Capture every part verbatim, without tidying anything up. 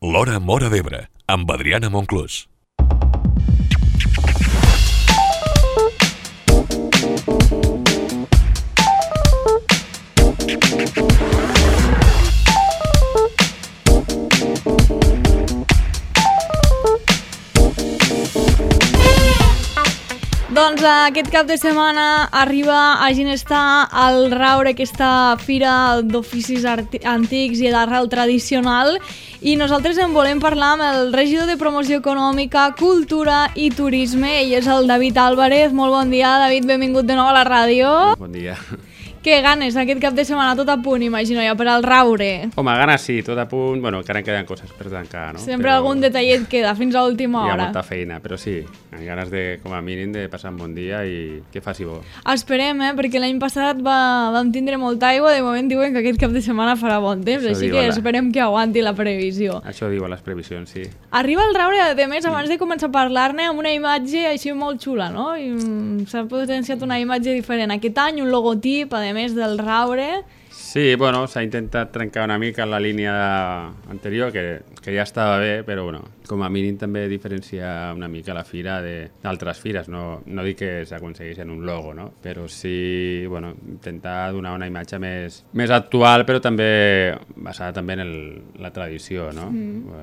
L'Hora Móra d'Ebre, amb Adriana Monclús. Doncs aquest cap de setmana arriba a Ginestar al Raure, aquesta fira d'oficis antics i d'arrel tradicional, i nosaltres en volem parlar amb el regidor de Promoció Econòmica, Cultura i Turisme. Ell és el David Álvarez. Molt bon dia, David, benvingut de nou a la ràdio. Bon dia. Que ganes, aquest cap de setmana tot a punt, imagino, ja per al Raure. Home, ganes sí, tot a punt. Bueno, encara en queden coses per tancar, no? Sempre però... algun detallet queda fins a l'última hora. Hi ha molta feina, però sí, amb ganes de, com a mínim, de passar un bon dia i que faci bo. Esperem, eh? Perquè l'any passat va, vam tindre molta aigua, de moment diuen que aquest cap de setmana farà bon temps, Això així que la... esperem que aguanti la previsió. Això diuen les previsions, sí. Arriba el Raure, a més, abans de començar a parlar-ne, amb una imatge així molt xula, no? I s'ha potenciat una imatge diferent. Aquest any, un logotip, a més del Raure. Sí, bueno, s'ha intentat trencar una mica la línia anterior, que, que ja estava bé, però bueno, com a mínim també diferenciar una mica la fira d'altres fires. No, no dic que s'aconseguís en un logo, no? Però sí, bueno, intentar donar una imatge més, més actual, però també basada també en el, la tradició, no? Mm.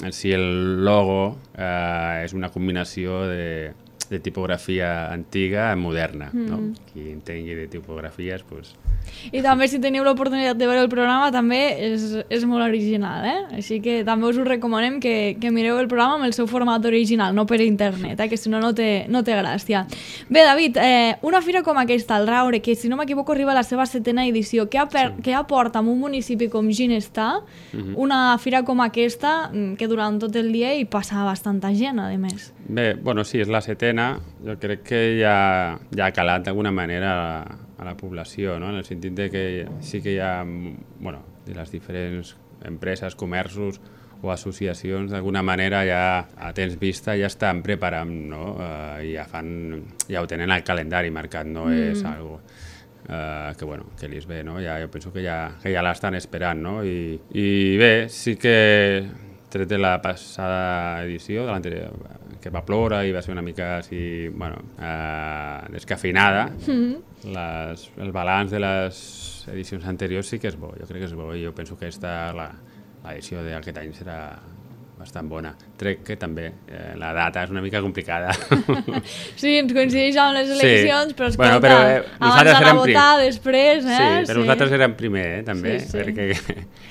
En si el logo eh, és una combinació de, de tipografia antiga i moderna, mm. no? Qui entengui de tipografies, doncs... I també, si teniu l'oportunitat de veure el programa, també és, és molt original, eh? Així que també us ho recomanem que, que mireu el programa amb el seu format original, no per internet, eh? Que si no, no té, no té gràcia. Bé, David, eh, una fira com aquesta, el Raure, que si no m'equivoco arriba a la seva setena edició, què, aper, sí. què aporta en un municipi com Ginestar, uh-huh. una fira com aquesta, que durant tot el dia hi passa bastanta gent, a més? Bé, bueno, sí, és la setena. Jo crec que ja, ja ha calat d'alguna manera a, a la població, no? En el sentit de que sí que hi ha, bueno, de les diferents empreses, comerços o associacions, d'alguna manera ja a temps vista ja estan preparant, no? Uh, ja fan, ja ho tenen al calendari marcat, no mm. és algo uh, que, bueno, que li és bé, no? Ja, jo penso que ja, que ja l'estan esperant, no? I, i bé, sí que tret de la passada edició, de l'anterior, que va ploure i va ser una mica així, bueno, eh, descafeinada, mm. les, el balanç de les edicions anteriors sí que és bo, jo crec que és bo, i jo penso que esta, la, l'edició d'aquest any serà bastant bona. Crec que també eh, la data és una mica complicada. Sí, ens coincideix amb les eleccions, sí. Però escolta, bueno, però, eh, abans d'anar a votar, després, eh? Sí, però sí. Nosaltres érem primer, eh, també, sí, sí. perquè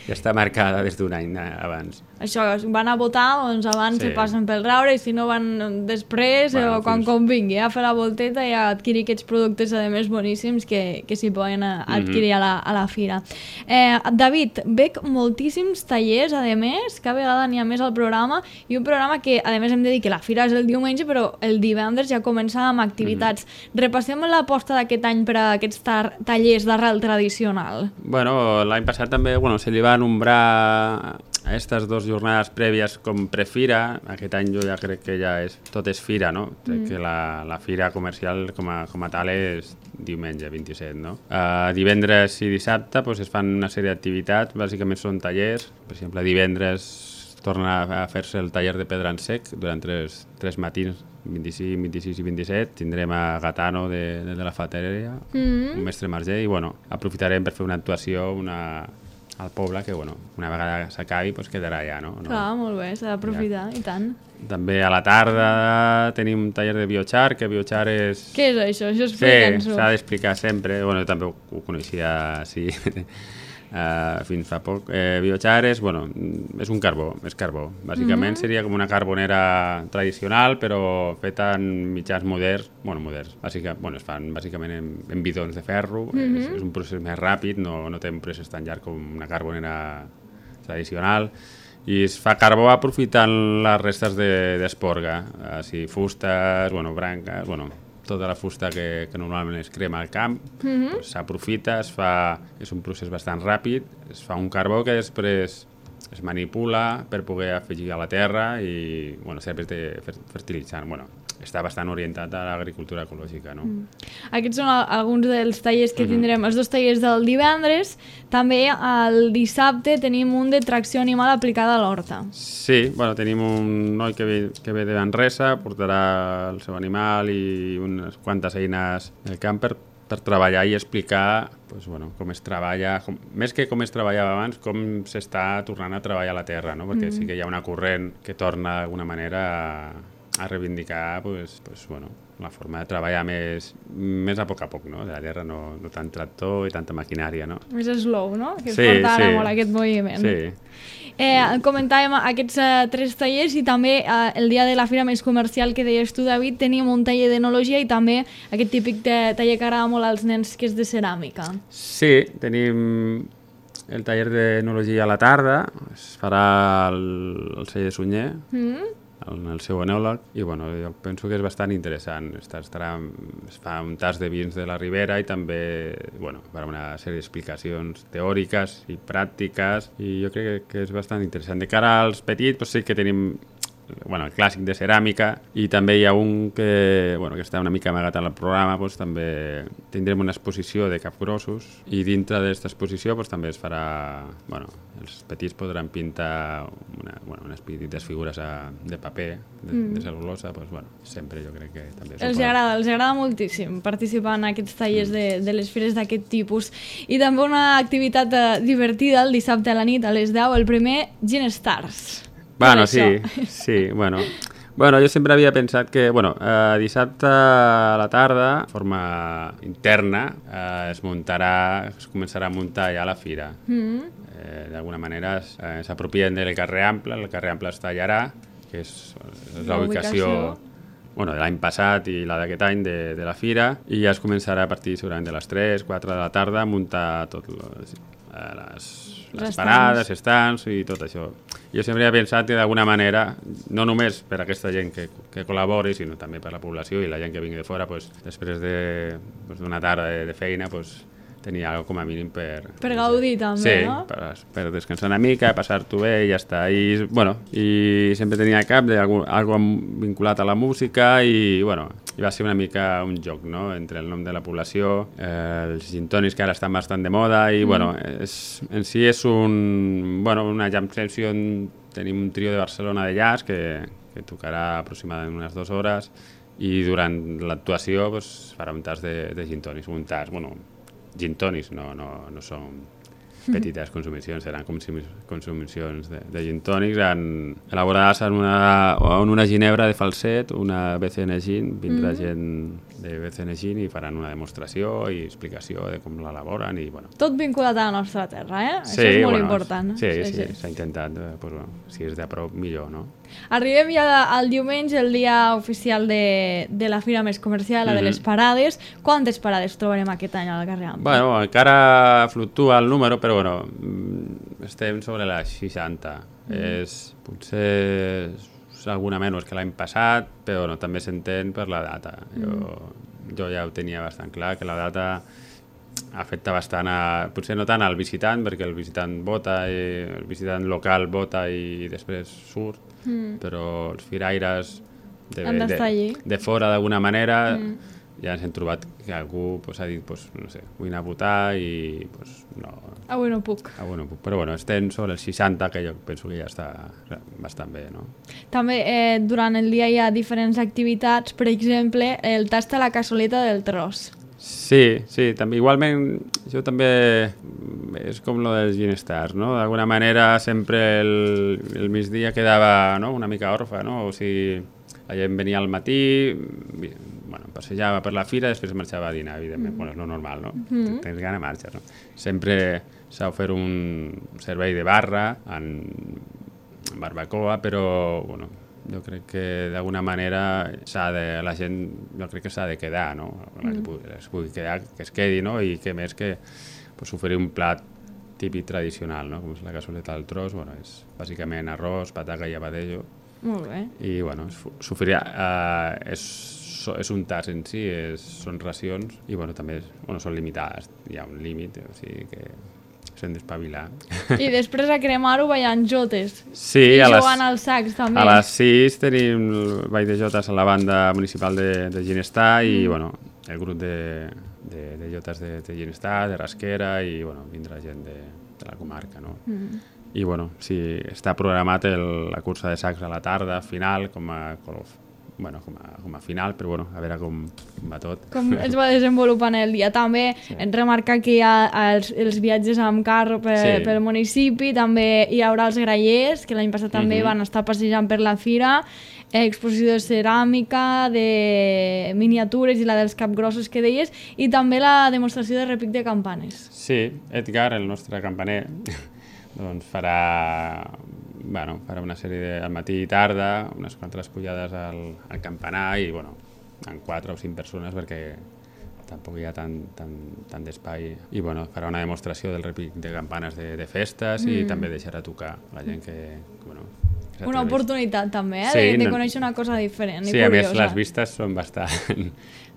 ja està marcada des d'un any abans. Això, van a votar, doncs abans sí. se passen pel Raure, i si no van després, bueno, o quan fins... convingui, a fer la volteta i a adquirir aquests productes, a més, boníssims que, que s'hi poden adquirir mm-hmm. a, la, a la fira. Eh, David, veig moltíssims tallers, a més, cada vegada n'hi ha més al programa, i un programa que, a més, hem de dir que la fira és el diumenge, però el divendres ja comença amb activitats. Mm-hmm. Repassem l'aposta d'aquest any per a aquests tar- tallers d'arrel tradicional. Bueno, l'any passat també, bueno, se li va nombrar a aquestes dues jornades prèvies com prefira. Aquest any jo ja crec que ja és, tot és fira, no? Crec mm. que la, la fira comercial com a, com a tal és diumenge, vint-i-set, no? Uh, divendres i dissabte pues, es fan una sèrie d'activitats, bàsicament són tallers. Per exemple, divendres torna a fer-se el taller de pedra en sec durant tres, tres matins, vint-i-cinc, vint-i-sis i vint-i-set. Tindrem a Gatano de, de, de la Fateria, mm. un mestre marger, i bueno, aprofitarem per fer una actuació, una... al poble, que bueno, una vegada s'acabi pues quedarà ja, no? no? Clar, molt bé, s'ha d'aprofitar, ja. I tant. També a la tarda tenim un taller de biochar, que biochar és... Què és això? Això explica'ns-ho. Sí, s'ha d'explicar sempre, bueno, jo també ho, ho coneixia així uh, fins fa poc. Eh, biochar és, bueno, és un carbó, és carbó. Bàsicament mm-hmm. seria com una carbonera tradicional, però feta en mitjans moderns, bueno, moderns, bàsicament, bueno, es fan bàsicament en, en bidons de ferro, mm-hmm. és, és un procés més ràpid, no, no té un procés tan llarg com una carbonera tradicional, i es fa carbó aprofitant les restes d'esporga, de, així, fustes, bueno, branques, bueno, tota la fusta que, que normalment es crema al camp, mm-hmm. pues, s'aprofita, es fa, és un procés bastant ràpid, es fa un carbó que després es manipula per poder afegir a la terra i, bueno, serveix de fertilitzant, bueno, està bastant orientat a l'agricultura ecològica, no? Mm. Aquests són alguns dels tallers que tindrem, els dos tallers del divendres. També el dissabte tenim un de tracció animal aplicada a l'horta. Sí, bueno, tenim un noi que ve, que ve de Manresa, portarà el seu animal i unes quantes eines del camp per per treballar i explicar pues, bueno, com es treballa, com, més que com es treballava abans, com s'està tornant a treballar a la terra, no? Perquè mm. sí que hi ha una corrent que torna d'alguna manera a, a reivindicar pues, pues, bueno, la forma de treballar més, més a poc a poc, no? De la terra, no, no tant tractor i tanta maquinària, no? Més slow, no? Que es sí, porta ara sí. molt aquest moviment. Sí. Eh, comentàvem aquests uh, tres tallers i també uh, el dia de la fira més comercial que deies tu, David, tenim un taller d'enologia i també aquest típic taller que agrada molt als nens que és de ceràmica. Sí, tenim el taller d'enologia a la tarda, es farà el, el celler de Sunyer, mm. el, el seu enòleg, i bueno, jo penso que és bastant interessant. Estarà, estarà, es fa un tas de vins de la Ribera i també bueno, per una sèrie d'explicacions teòriques i pràctiques, i jo crec que, que és bastant interessant. De cara als petits, doncs sí que tenim bueno, el clàssic de ceràmica, i també hi ha un que, bueno, que està una mica amagat al programa, doncs també tindrem una exposició de capgrossos, i dintre d'aquesta exposició doncs, també es farà, bueno, els petits podran pintar una, bueno, unes petites figures a, de paper, de, mm. de cel·lulosa, doncs, bueno, sempre jo crec que també... Els agrada, els agrada moltíssim participar en aquests tallers mm. de, de les fires d'aquest tipus. I també una activitat eh, divertida el dissabte a la nit a les deu, el primer Gin Stars. Bueno, sí, sí, bueno. Bueno, jo sempre havia pensat que, bueno, eh, dissabte a la tarda, de forma interna, eh, es muntarà, es començarà a muntar ja la fira. Mm. Eh, d'alguna manera eh, s'apropien del carrer Ample, el carrer Ample està a Llarà, que és, és la ubicació bueno, de l'any passat i la d'aquest any de, de la fira, i ja es començarà a partir segurament de les tres, quatre de la tarda a muntar tot les, eh, les, les parades, estants i tot això. Jo sempre he pensat que d'alguna manera, no només per aquesta gent que, que col·labori, sinó també per la població i la gent que vingui de fora, pues, després d'una de, pues, tarda de, de feina, pues, tenir alguna com a mínim per... Per gaudir també, sí, no? Sí, per, per descansar una mica, passar-t'ho bé i ja està. I, bueno, i sempre tenia a cap d'algú vinculat a la música i, bueno, i va ser una mica un joc, no?, entre el nom de la població, eh, els gin tònics que ara estan bastant de moda i, mm. bueno, és, en si és un, bueno, una jam session, tenim un trio de Barcelona de jazz que, que tocarà aproximadament unes dues hores i durant l'actuació pues, farà un tas de, de gin tònics, un tas, bueno, gin tònics, no, no, no són petites consumicions, seran consumicions de, de gin tònics en, elaborades en una, en una ginebra de falset, una B C N Gin, vindrà mm. gent de B C N Gin i faran una demostració i explicació de com l'elaboren i bueno. Tot vinculat a la nostra terra, eh? Sí, això és molt bueno, important. Sí, sí, sí, s'ha sí, intentat, pues, bueno, si és de prop millor, no? Arribem ja al diumenge, el dia oficial de, de la fira més comercial, la mm-hmm. de les parades. Quantes parades trobarem aquest any al carrer Ample? Bueno, encara fluctua el número, però bueno, estem sobre les seixanta. Mm. És, potser és alguna menys que l'any passat, però bueno, també s'entén per la data. Jo, mm. jo ja ho tenia bastant clar, que la data afecta bastant a, potser no tant al visitant, perquè el visitant vota, i el visitant local vota i després surt, mm. però els firaires de, de, de fora d'alguna manera mm. ja ens hem trobat que algú pues, ha dit, pues, no sé, vull anar a votar i pues, no... Avui no puc. Avui no puc, però bueno, estem sobre els seixanta, que jo penso que ja està bastant bé, no? També eh, durant el dia hi ha diferents activitats, per exemple, el tast a la cassoleta del tros. Sí, sí, també, igualment, això també és com lo dels Gin Stars, no? D'alguna manera sempre el, el migdia quedava, no?, una mica orfa, no? O sigui, la gent venia al matí, bueno, passejava per la fira, després marxava a dinar, evidentment, mm. bueno, és lo normal, no? Mm. Tens gana, marxes, no? Sempre s'ha ofert un servei de barra en barbacoa, però, bueno, jo crec que d'alguna manera s'ha de, la gent, jo crec que s'ha de quedar, no? Mm. Es pugui quedar, que es quedi, no? I que més que pues, oferir un plat típic tradicional, no? Com és la cassoleta del tros, bueno, és bàsicament arròs, pataca i abadejo. Molt bé. I, bueno, s'oferirà, eh, és, és un tas en si, és, són racions i, bueno, també és, bueno, són limitades, hi ha un límit, o sigui que s'han d'espavilar. I després a Cremar-ho ballant jotes. Sí, I a les, jugant al sax, també. a les sis tenim el ball de jotes a la banda municipal de, de Ginestar i, mm. bueno, el grup de, de, de jotes de, de Ginestar, de Rasquera i, bueno, vindrà gent de, de la comarca, no? Mm. I, bueno, sí, està programat el, la cursa de sacs a la tarda, final, com a color. Bueno, com a, com a final, però bueno, a veure com, com va tot. Com es va desenvolupant el dia. També sí. Hem remarcat que hi ha els, els viatges amb carro per, sí. pel municipi, també hi haurà els grallers, que l'any passat també uh-huh. van estar passejant per la fira, exposició de ceràmica, de miniatures i la dels capgrossos que deies, i també la demostració de repic de campanes. Sí, Edgar, el nostre campaner, doncs farà... Bueno, farà una sèrie de, al matí i tarda, unes quantes pujades al, al campanar i, bueno, en quatre o cinc persones perquè tampoc hi ha tant, tant, tant d'espai. I, bueno, farà una demostració del repic de campanes de, de festes mm. i també deixarà tocar la gent que, que bueno... Que una oportunitat també, eh? Sí, de, de conèixer una cosa diferent sí, i curiosa. Sí, a més les vistes són bastant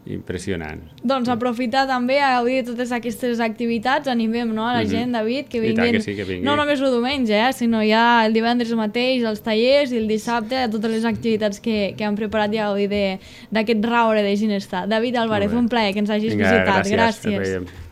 impressionants. Doncs aprofitar també a gaudir de totes aquestes activitats, animem no, a la mm-hmm. gent, David, que vinguin, que sí, que vinguin. No només el diumenge, eh, sinó ja el divendres mateix, els tallers i el dissabte, a totes les activitats que, que han preparat i a gaudir d'aquest raure de Ginestar. David Álvarez, un plaer que ens hagis Vinga, visitat. Gràcies. Gràcies.